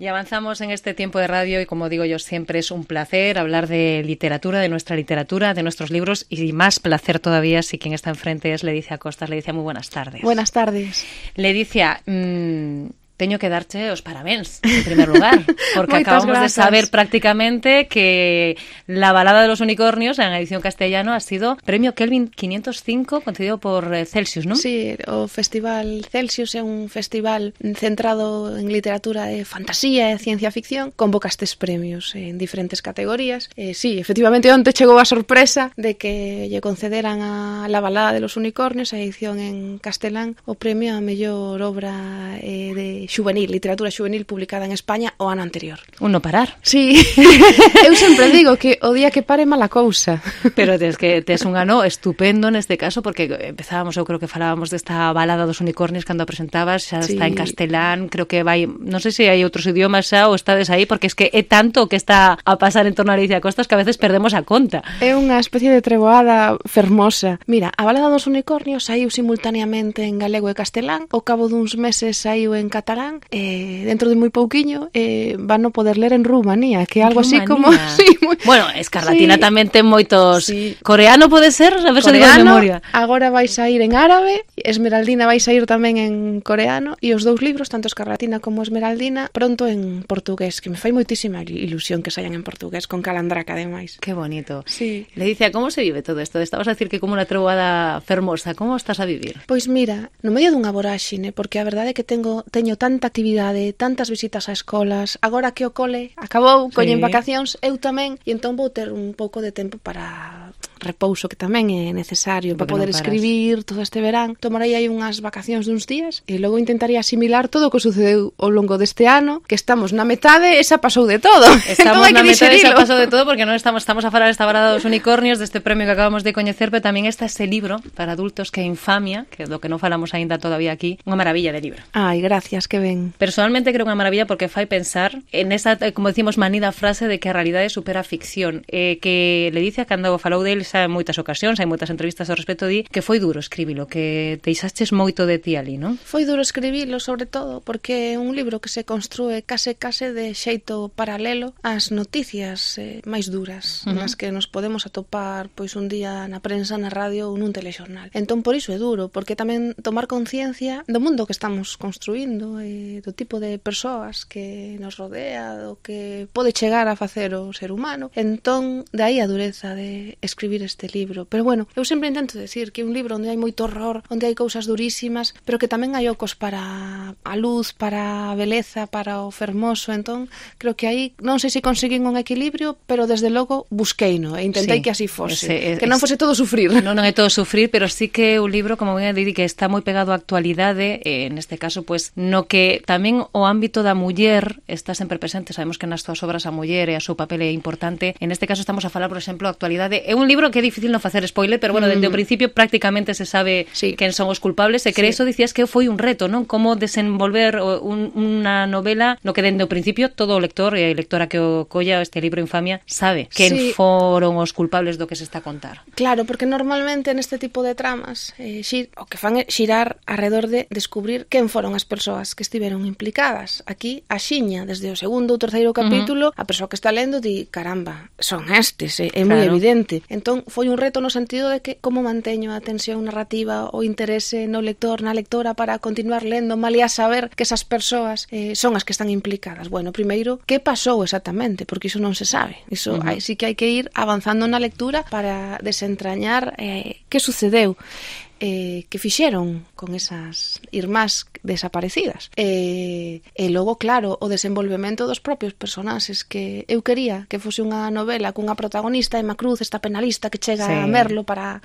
Y avanzamos en este tiempo de radio y, como digo yo siempre, es un placer hablar de literatura, de nuestra literatura, de nuestros libros, y más placer todavía si quien está enfrente es Ledicia Costas. Ledicia, muy buenas tardes. Buenas tardes. Ledicia, teño que darche os parabéns, en primer lugar, porque acabamos de saber prácticamente que La balada de los unicornios, en edición castellano, ha sido premio Kelvin 505 concedido por Celsius, ¿no? Sí, o Festival Celsius é un festival centrado en literatura de fantasía e ciencia ficción, convoca estes premios en diferentes categorías. Sí, efectivamente, onte chegou a sorpresa de que lle concederan a La balada de los unicornios, a edición en castelán, o premio a mellor obra de xuvenil, literatura xuvenil publicada en España o ano anterior. Un no parar. Sí, eu sempre digo que o día que pare mala cousa. Pero tes un ano estupendo neste caso, porque empezábamos, eu creo que falábamos desta balada dos unicornios cando a presentabas, xa está en castelán, creo que vai, non sei se hai outros idiomas xa ou estades aí, porque es que é tanto que está a pasar en torno a Ledicia Costas que a veces perdemos a conta. É unha especie de treboada fermosa. Mira, a balada dos unicornios saiu simultaneamente en galego e castelán, ao cabo duns meses saiu en catalán, dentro de moi pouquiño van a poder ler en Rumanía, que é algo así como... Sí, muy... Bueno, Escarlatina tamén ten moitos... Sí. Coreano pode ser? A ver se digo de memoria. Agora vai sair en árabe, Esmeraldina vai sair tamén en coreano, e os dous libros, tanto Escarlatina como Esmeraldina, pronto en portugués, que me fai moitísima ilusión que saian en portugués, con calandraca ademais. Qué bonito. Sí. Ledicia, como se vive todo isto? Estabas a decir que como unha treboada fermosa, como estás a vivir? Pois mira, no medio dunha voráxine, porque a verdade é que teño tanta actividade, tantas visitas a escolas, agora que o cole acabou, coñen vacacións, eu tamén, e entón vou ter un pouco de tempo para repouso, que tamén é necesario para poder escribir todo este verán. Tomarei aí unhas vacacións duns días e logo intentaría asimilar todo o que sucedeu ao longo deste ano, que estamos na metade e xa pasou de todo. Estamos na metade e xa pasou de todo, porque non estamos a falar esta balada dos unicornios, deste premio que acabamos de coñecer, pero tamén está ese libro para adultos que é Infamia, que é do que non falamos aínda todavía aquí, unha maravilla de libro. Ai, gracias, que ben. Personalmente creo unha maravilla porque fai pensar en esa, como decimos, manida frase de que a realidade supera a ficción, que Ledicia, cando falou del xa en moitas ocasións, hai moitas entrevistas ao respecto, di que foi duro escribilo, que deixaches moito de ti ali, non? Foi duro escribilo, sobre todo, porque é un libro que se construe case de xeito paralelo ás noticias máis duras, nas que nos podemos atopar pois un día na prensa, na radio ou nun telexornal. Entón, por iso é duro, porque tamén tomar conciencia do mundo que estamos construindo, do tipo de persoas que nos rodea, do que pode chegar a facer o ser humano. Entón, de aí a dureza de escribir este libro. Pero bueno, eu sempre intento decir que é un libro onde hai moito horror, onde hai cousas durísimas, pero que tamén hai ocos para a luz, para a beleza, para o fermoso. Entón, creo que aí, non sei se conseguín un equilibrio, pero desde logo busqueino e intentei que así fose. Que non fose todo sufrir. Non é todo sufrir, pero sí que o libro, como ben didi, que está moi pegado á actualidade, neste caso, pues, no que tamén o ámbito da muller está sempre presente. Sabemos que nas túas obras a muller e a seu papel é importante. En este caso estamos a falar, por exemplo, a actualidade. É un libro que é difícil non facer spoiler, pero bueno, dende o principio prácticamente se sabe quen son os culpables, e que eso dicías que foi un reto, non? Como desenvolver unha novela no que dende o principio todo o lector e a lectora que o colla este libro Infamia sabe quen foron os culpables do que se está a contar. Claro, porque normalmente neste tipo de tramas o que fan é xirar alrededor de descubrir quen foron as persoas que estiveron implicadas. Aquí, a xiña, desde o segundo ou terceiro capítulo, a persoa que está lendo di, caramba, son estes, é moi evidente. Entón, foi un reto no sentido de que como manteño a tensión narrativa, o interese no lector, na lectora, para continuar lendo, malia saber que esas persoas son as que están implicadas. Bueno, primeiro, que pasou exactamente? Porque iso non se sabe. Iso sí que hai que ir avanzando na lectura para desentrañar que sucedeu. Que fixeron con esas irmás desaparecidas. E logo, claro, o desenvolvemento dos propios personaxes, que eu quería que fose unha novela cunha protagonista, Emma Cruz, esta penalista que chega a Merlo para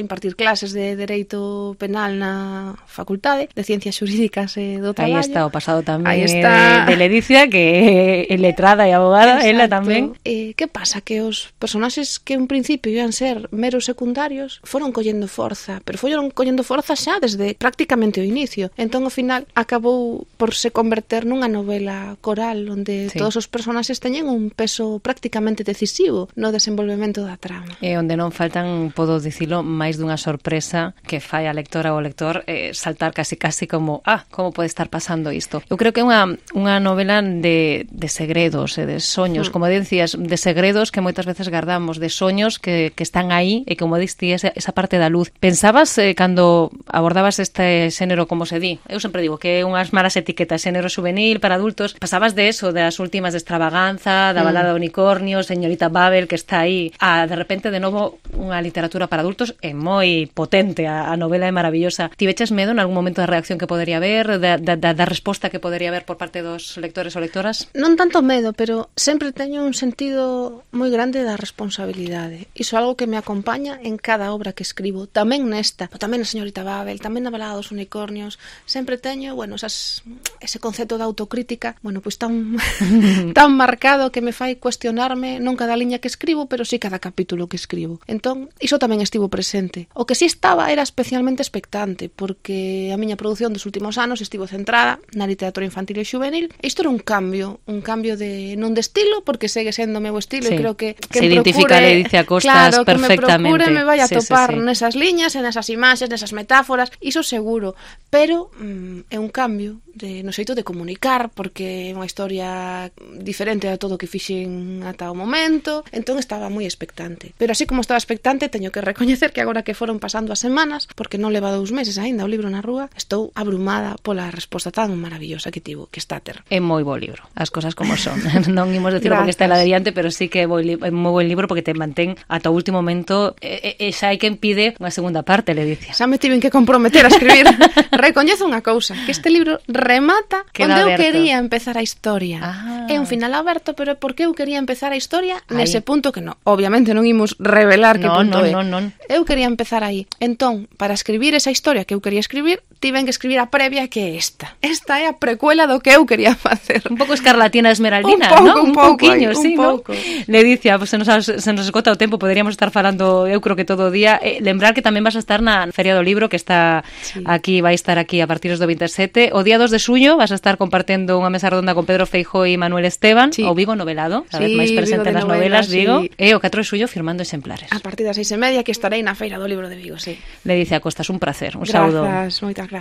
impartir clases de Dereito Penal na Facultade de Ciencias Xurídicas e do Traballo. Aí está o pasado tamén de Ledicia, que é letrada e abogada. Exacto. Ela tamén. Que pasa? Que os personaxes que en principio iban ser meros secundarios foron collendo forza, pero foron collendo forza xa desde desde prácticamente o inicio. Entón, ao final, acabou por se converter nunha novela coral onde todos os personaxes teñen un peso prácticamente decisivo no desenvolvemento da trama. E onde non faltan, podo dicilo, máis dunha sorpresa que fai a lectora ou o lector saltar casi como, como pode estar pasando isto? Eu creo que é unha novela de segredos e de soños, como decías, de segredos que moitas veces guardamos, de soños que están aí e como diste esa parte da luz. Pensabas cando abordabas este xénero, como se di, eu sempre digo que é unhas malas etiquetas, xénero juvenil para adultos, pasabas de eso, das últimas de Extravaganza, da balada do unicornio, Señorita Babel, que está aí, a de repente de novo unha literatura para adultos é moi potente, a novela é maravillosa. Tiveches medo en algún momento da reacción que podería haber, da resposta que podería haber por parte dos lectores ou lectoras? Non tanto medo, pero sempre teño un sentido moi grande da responsabilidade. Iso é algo que me acompaña en cada obra que escribo, tamén nesta, tamén na Señorita Babel, tamén na balada dos unicornios. Sempre teño, ese concepto de autocrítica, pois tan marcado que me fai cuestionarme non cada liña que escribo, pero sí cada capítulo que escribo. Entón, iso tamén estivo presente. O que sí estaba era especialmente expectante, porque a miña produción dos últimos anos estivo centrada na literatura infantil e juvenil. Isto era un cambio de non de estilo, porque segue sendo o meu estilo, e creo que se identifica a Ledicia Costas perfectamente. Que me vai a topar nesas liñas, nesas imaxes, nesas metáforas, iso seguro, pero é un cambio no xeito de comunicar, porque é unha historia diferente a todo o que fixen ata o momento, entón estaba moi expectante. Pero así como estaba expectante, teño que recoñecer que agora que foron pasando as semanas, porque non leva 2 meses aínda o libro na rúa, estou abrumada pola resposta tan maravillosa que tivo, que está a ter. É moi bo libro, as cosas como son. Non imos decirlo porque está lá de diante, pero sí que é moi buen libro porque te mantén ata o último momento, e xa hai quen pide unha segunda parte, Ledicia. Xa me tiven que comprometer a escribir. Recoñezo unha cousa, que este libro remata onde eu quería empezar a historia. É un final aberto, pero porque eu quería empezar a historia nese punto que non. Obviamente non imos revelar que punto é. Non. Eu quería empezar aí. Entón, para escribir esa historia que eu quería escribir, tiven que escribir a previa, que é esta. Esta é a precuela do que eu quería facer. Un pouco Escarlatina Esmeraldina, un pouquiño, sí, ¿no? Ledicia, se nos esgota o tempo, poderíamos estar falando, eu creo que todo o día. Lembrar que tamén vas a estar na Feria do Libro, que está aquí, vai estar aquí a partir do 27. O día 2 de xullo vas a estar compartendo unha mesa redonda con Pedro Feijóo e Manuel Esteban, o Vigo Novelado, cada vez máis presente nas novelas, Vigo, e o 4 de xullo firmando exemplares. A partir das 6:30 que estarei na Feira do Libro de Vigo, sí. Ledicia Costas, un placer, un saúdo. Grazas, moitas grazas.